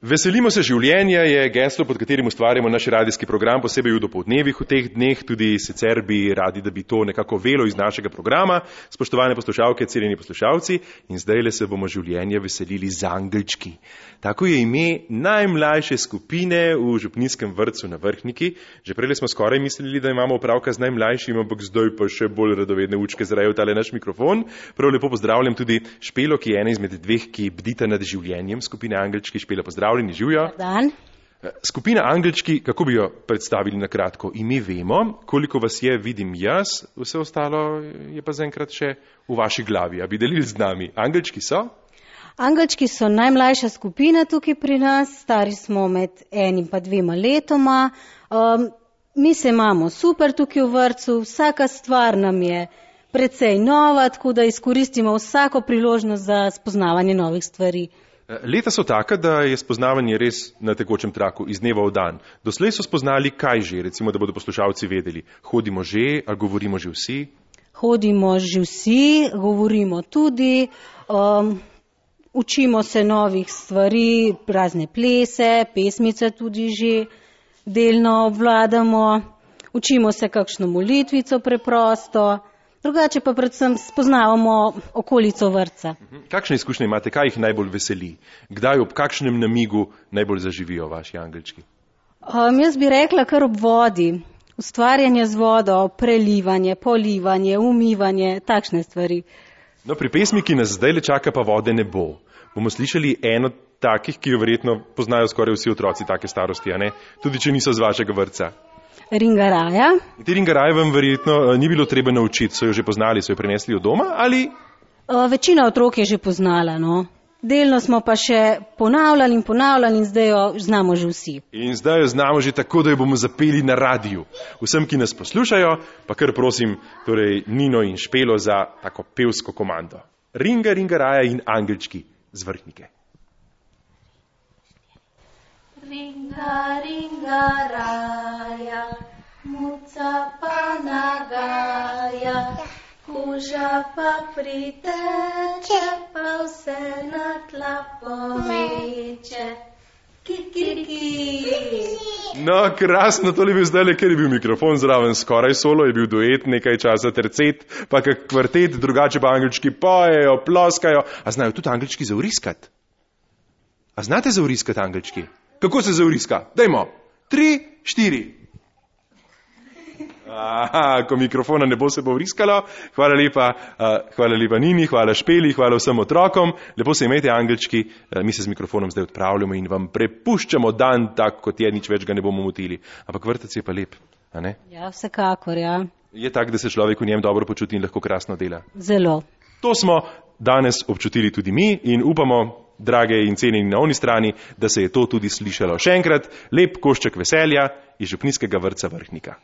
Veselimo se življenja je geslo, pod katerim ustvarjamo naš radijski program, posebej v dopoldnevih v teh dneh, tudi sicer bi radi, da bi to nekako velo iz našega programa. Spoštovane poslušalke, cenjeni poslušalci, in zdajle se bomo življenja veselili z angelčki. Tako je ime najmlajše skupine v župnijskem vrtcu na Vrhniki. Že prej smo skoraj mislili, da imamo opravka z najmlajšim, ampak zdaj pa še bolj radovedne učke zrajo tale naš mikrofon. Prav lepo pozdravljam tudi Špelo, ki je ena izmed dveh, ki bdita nad življenjem skupine Angelčki. Špela, pozdravljeni, živijo. Dan. Skupina Angelčki, kako bi jo predstavili na kratko? Ime vemo, koliko vas je, vidim jaz, vse ostalo je pa zaenkrat še v vaši glavi. A bi delili z nami? Angelčki so? Angelčki so najmlajša skupina tukaj pri nas, stari smo med 1 in 2 letoma. Mi se imamo super tukaj v vrtcu, vsaka stvar nam je precej nova, tako da izkoristimo vsako priložnost za spoznavanje novih stvari. Leta so taka, da je spoznavanje res na tekočem traku, iz dneva v dan. Doslej so spoznali kaj že, recimo, da bodo poslušalci vedeli. Hodimo že, ali govorimo že vsi? Hodimo že vsi, govorimo tudi, učimo se novih stvari, razne plese, pesmice tudi že delno obvladamo, učimo se kakšno molitvico preprosto. Drugače pa predvsem spoznavamo okolico vrtca. Kakšne izkušnje imate, kaj jih najbolj veseli? Kdaj, ob kakšnem namigu najbolj zaživijo vaši angelčki? Jaz bi rekla kar ob vodi. Ustvarjanje z vodo, prelivanje, polivanje, umivanje, takšne stvari. No, pri pesmi, ki nas zdaj le čaka, pa vode ne bo. Bomo slišali eno takih, ki jo verjetno poznajo skoraj vsi otroci take starosti, a ne? Tudi če niso z vašega vrtca. Ringaraja. Te ringaraje vam verjetno ni bilo treba naučiti, so jo že poznali, so jo prinesli od doma ali? Večina otrok je že poznala, no. Delno smo pa še ponavljali in zdaj jo znamo že vsi. In zdaj jo znamo že tako, da jo bomo zapeli na radiju. Vsem, ki nas poslušajo, pa kar prosim, torej Nino in Špelo za tako pevsko komando. Ringaraja in angelčki z Vrhnike. Ringa, ringaraja, muca pa nagaja, kuža pa priteče, pa vse na tla pomeče. Ki. No, krasno, tole je bil zdajle, ker je bil mikrofon zraven skoraj solo, je bil duet, nekaj časa tercet, pa kak kvartet, drugače pa angelčki pojejo, ploskajo. A znajo tudi angelčki zauriskati? A znate zauriskati angelčki? Kako se zauriska? Dajmo. 3, 4. Aha, ko mikrofona ne bo, se bo vriskalo. Hvala lepa Nini, hvala Špeli, hvala vsem otrokom. Lepo se imejte, angelčki. Mi se z mikrofonom zdaj odpravljamo in vam prepuščamo dan tak, kot je, nič več ga ne bomo motili. Ampak vrtec je pa lep, a ne? Ja, vsekakor, ja. Je tak, da se človek v njem dobro počuti in lahko krasno dela. Zelo. To smo danes občutili tudi mi in upamo, drage in cenjeni na oni strani, da se je to tudi slišalo. Še enkrat, lep košček veselja iz župnijskega vrtca Vrhnika.